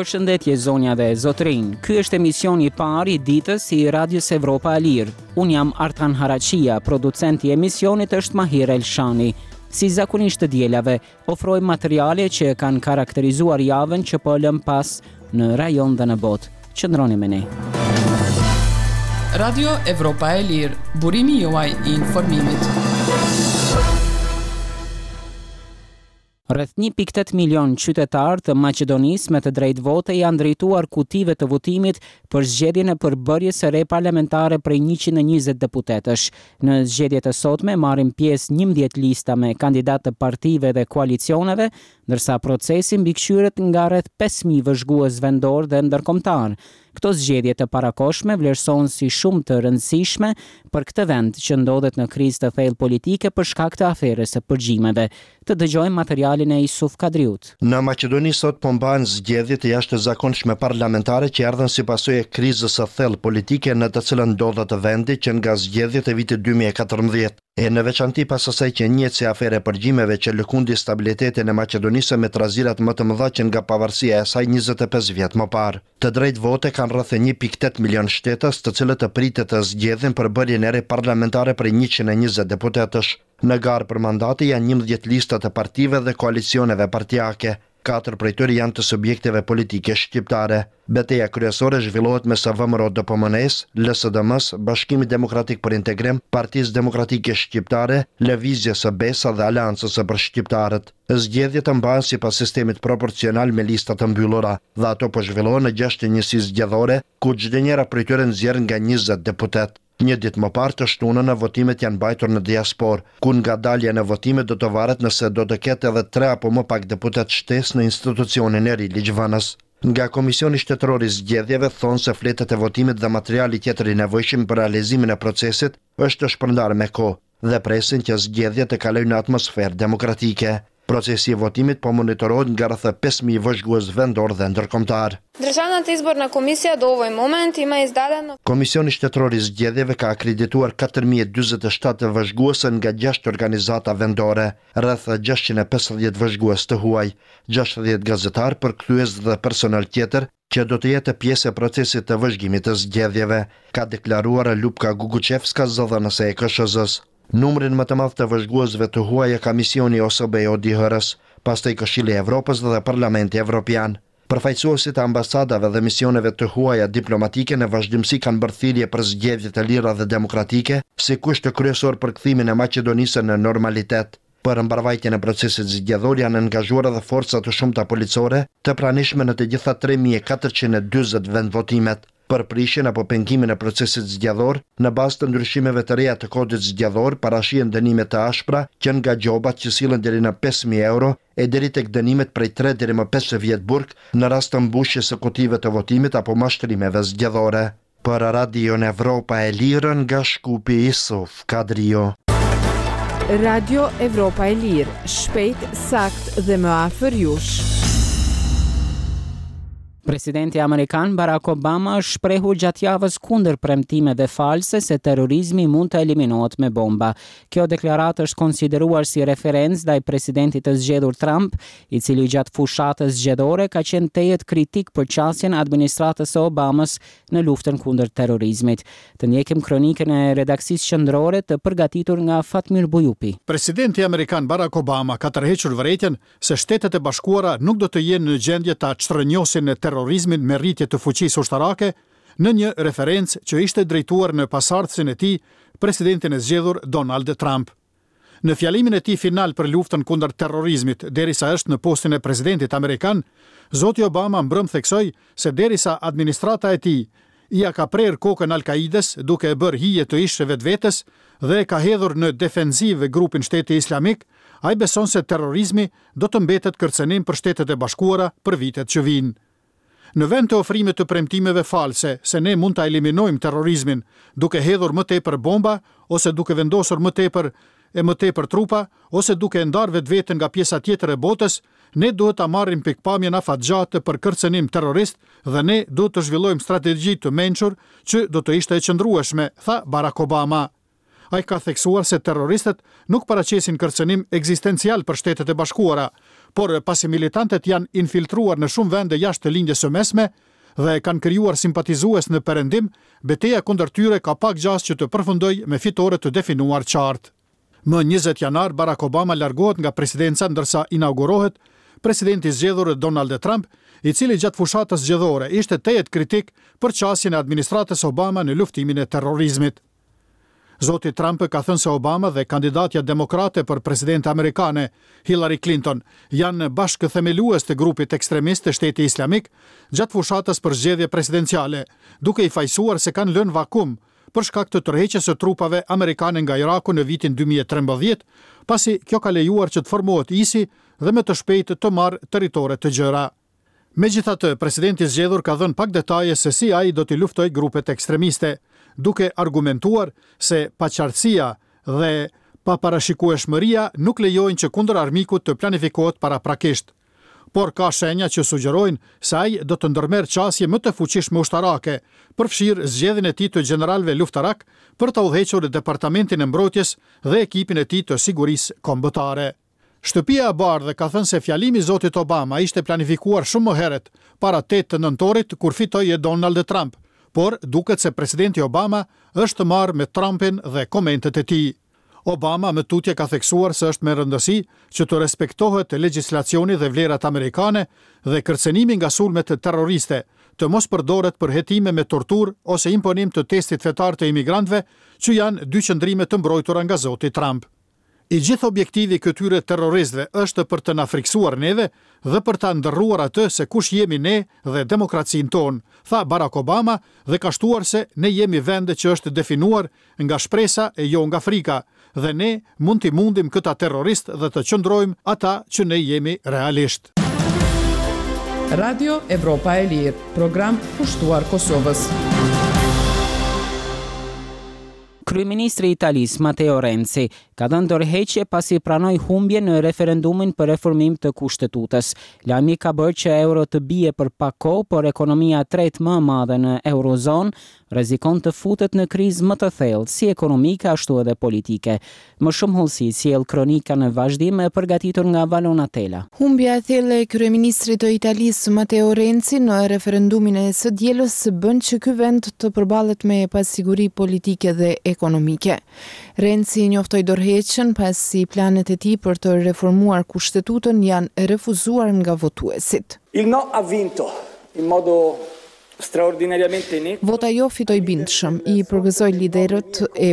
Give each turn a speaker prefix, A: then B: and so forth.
A: Përshëndetje zonja dhe zotërinj. Ky është emisioni i parë i ditës i Radios Evropa e Lirë. Unë jam Artan Haraqia, producenti i emisionit është Mahir Elshani. Si zakonisht të dielave, ofrojmë materiale që kanë karakterizuar javën që po lëmë pas në rajon dhe në botë. Qëndroni me ne.
B: Radio Evropa e Lirë, burimi juaj i informimit.
A: Rreth 1.8 milion qytetarë të Maqedonisë me të drejtë vote janë drejtuar kutive të votimit për zgjedhjen e përbërjes së re parlamentare prej 120 deputetësh. Në zgjedhjet e sotme marrin pjesë 11 lista me kandidatë të partive dhe koalicioneve, ndërsa procesi mbikëqyret nga rreth 5.000 vëzhgues vendorë dhe ndërkombëtarë. Këto zgjedhje të parakohshme vlerësohen si shumë të rëndësishme për këtë vend që ndodhet në krizë të thellë politike për shkak të aferës së përgjimeve. Të dëgjojmë materialin e Isuf Kadriut.
C: Në Maqedoni sot po mbahen zgjedhje të jashtëzakonshme parlamentare që erdhën si pasojë e krizës së thellë politike në të cilën ndodhet vendi që nga zgjedhjet e vitit 2014. E në veçanti pas asaj që njihet si aferë e përgjimeve që lëkundi stabilitetin e Maqedonisë me trazirat më të mëdha që nga pavarësia e saj 25 vjet më parë. Të drejtë vote kanë rreth 1.8 milion shtetas, të cilët pritet të zgjedhin përbërjen e re parlamentare prej 120 deputetësh. Në garë për mandate janë 11 lista të partive dhe koalicioneve partiake. Katër prej tyre janë të subjekteve politike shqiptare. Beteja kryesore zhvillohet mes VMRO DPMNE-s, LSDM-s, Bashkimit Demokratik për Integrim, Partisë Demokratike Shqiptare, Lëvizjes së Besa dhe Aleancës për Shqiptarët. Zgjedhjet mbahen sipas sistemit proporcional me lista të mbyllura dhe ato po zhvillohen në gjashtë njësi zgjedhore, ku çdo njëra prej tyre nxjerr nga 20 deputet. Një ditë më parë të shtunën votimet janë mbajtur në diasporë, ku nga dalja në votime do të varet nëse do të ketë edhe tre apo më pak deputet shtesë në institucionin e ri ligjvënës. Nga Komisioni Shtetëror i Zgjedhjeve thonë se fletët e votimit dhe materiali tjetër i nevojshëm për realizimin e procesit është shpërndarë me kohë dhe presin që zgjedhjet të kalojnë në atmosferë demokratike. Procesi i votimit po monitorohet nga rreth 5000 vëzhgues vendor dhe ndërkombëtar.
D: Државната изборна комисија до овој момент има издадено
C: Komisioni Shtetëror i Zgjedhjeve ka akredituar 4047 vëzhgues nga 6 organizata vendore, rreth 650 vëzhgues të huaj, 60 gazetar, përkthyes dhe personel tjetër që do të jetë pjesë e procesit të vëzhgimit të zgjedhjeve, ka deklaruar Lupka Guguçevska, zëdhënëse e KSHZ-s. Numrin më të madh të vëzhguesve të huaj e ka misioni OSBE ODIHR-s, pastaj Këshilli i Evropës dhe Parlamenti Evropian. Përfaqësuesit e ambasadave dhe misioneve të huaja diplomatike në vazhdimësi kanë bërë thirrje për zgjedhje të lira dhe demokratike, si kusht kryesor për kthimin e Maqedonisë në normalitet. Për mbarvajtjen e procesit zgjedhor janë angazhuar edhe forca të shumta policore, të pranishme në të gjitha 3440 vendvotimet. Për prishjen apo pengimin e procesit zgjedhor, në bazë të ndryshimeve të reja të kodit zgjedhor, parashihen dënime të ashpra që nga gjobat që sillen deri në 5000 euro e deri tek dënimet prej 3 deri më 5 vjet burg në rast të mbushjes së kutive të votimit apo mashtrimeve zgjedhore. Për Radion Evropa e Lirë nga Shkupi Isuf Kadrio.
E: Radio Evropa e Lirë, shpejt, sakt dhe më afër jush.
A: Presidenti amerikan Barack Obama është shprehur gjatë javës kundër premtimeve false se terrorizmi mund të eliminohet me bomba. Kjo deklaratë është konsideruar si referencë ndaj presidentit të zgjedhur Trump, i cili gjatë fushatës zgjedhore ka qenë tejet kritik për qasjen e administratës së Obamës në luftën kundër terrorizmit. Të ndjekim kronikën e redaksisë qendrore të përgatitur nga Fatmir Bujupi.
F: Presidenti amerikan Barack Obama ka tërhequr vërejtjen se Shtetet e Bashkuara nuk do të jenë në gjendje ta çrrënjosin terrorizmin me rritje të fuqisë ushtarake, në një referencë që ishte drejtuar në pasardhësin e tij, presidentin e zgjedhur Donald Trump. Në fjalimin e tij final për luftën kundër terrorizmit, derisa është në postin e presidentit amerikan, zoti Obama mbrëm theksoi se derisa administrata e tij ia ka prerë kokën Al-Kaidës duke e bërë hije të ish vetvetes dhe e ka hedhur në defensivë grupin Shteti Islamik, ai beson se terrorizmi do të mbetet kërcënim për Shtetet e Bashkuara për vitet që vijnë. Në vend të ofrimit të premtimeve false se ne mund ta eliminojmë terrorizmin duke hedhur më tepër bomba ose duke vendosur më tepër e më tepër trupa ose duke e ndarë vetveten nga pjesa tjetër e botës, ne duhet ta marrim pikëpamjen afatgjatë për kërcënim terrorist dhe ne duhet të zhvillojmë strategji të mençur që do të ishte e qëndrueshme, tha Barack Obama. Ai ka theksuar se terroristët nuk paraqesin kërcënim ekzistencial për Shtetet e Bashkuara, por pasi militantët janë infiltruar në shumë vende jashtë Lindjes së Mesme dhe kanë krijuar simpatizues në Perëndim, beteja kundër tyre ka pak gjasë që të përfundojë me fitore të definuar qartë. Më 20 janar, Barack Obama largohet nga presidenca ndërsa inaugurohet presidenti i zgjedhur Donald Trump, i cili gjatë fushatës zgjedhore ishte tejet kritik për qasjen e administratës Obama në luftimin e terrorizmit. Zoti Trump ka thënë se Obama dhe kandidatja demokrate për presidente amerikane, Hillary Clinton, janë bashkëthemelues të grupit ekstremist të Shteti Islamik gjatë fushatës për zgjedhje presidenciale, duke i fajësuar se kanë lënë vakum për shkak të tërheqjes së trupave amerikane nga Iraku në vitin 2013, pasi kjo ka lejuar që të formohet ISI dhe me të shpejtë të marrë territore të gjera. Megjithatë, presidenti i zgjedhur ka dhënë pak detaje se si ai do t'i luftojë grupet ekstremiste, duke argumentuar se paqartësia dhe paparashikueshmëria nuk lejojnë që kundër armikut të planifikohet paraprakisht. Por ka shenja që sugjerojnë se ai do të ndërmerr qasje më të fuqishme ushtarake, përfshirë zgjedhjen e tij të gjeneralëve luftarakë për ta udhëhequr Departamentin e Mbrojtjes dhe ekipin e tij të sigurisë kombëtare. Shtëpia e Bardhë ka thënë se fjalimi i zotit Obama ishte planifikuar shumë më herët, para 8 nëntorit kur fitoi Donald Trump, por duket se presidenti Obama është marrë me Trumpin dhe komentet e tij. Obama më tutje ka theksuar se është me rëndësi që të respektohet legjislacioni dhe vlerat amerikane dhe kërcënimi nga sulmet terroriste, të mos përdoret për hetime me torturë ose imponim të testit fetar të imigrantëve, që janë dy qëndrime të mbrojtura nga zoti Trump. I gjithë objektivi i këtyre terroristëve është për të na frikësuar neve dhe për ta ndërruar atë se kush jemi ne dhe demokracinë tonë, tha Barack Obama dhe ka shtuar se ne jemi vend që është definuar nga shpresa e jo nga frika dhe ne mund t'i mundim këta terroristë dhe të qëndrojmë ata që ne jemi realisht.
B: Radio Evropa e Lirë, program kushtuar Kosovës.
A: Kryeministri i Italisë, Matteo Renzi, ka dhënë dorëheqje pasi pranoi humbjen në referendumin për reformim të kushtetutës. Lajmi ka bërë që euro të bie për pak kohë, por ekonomia e tretë më e madhe në eurozonë rrezikon të futet në krizë më të thellë, si ekonomike ashtu edhe politike. Më shumë hollësi sjell kronika në vazhdim e përgatitur nga Valona Tela.
E: Humbja e thellë e kryeministrit të Italisë, Matteo Renzi, në referendumin e së dielës bën që ky vend të përballet me pasiguri politike dhe ekonomike. Renzi njoftoi dorëheqjen pasi planet e tij për të reformuar kushtetutën janë refuzuar nga votuesit.
G: Il no ha vinto in modo
E: Vota jo fitoi bindshëm, i përgëzoj liderët e.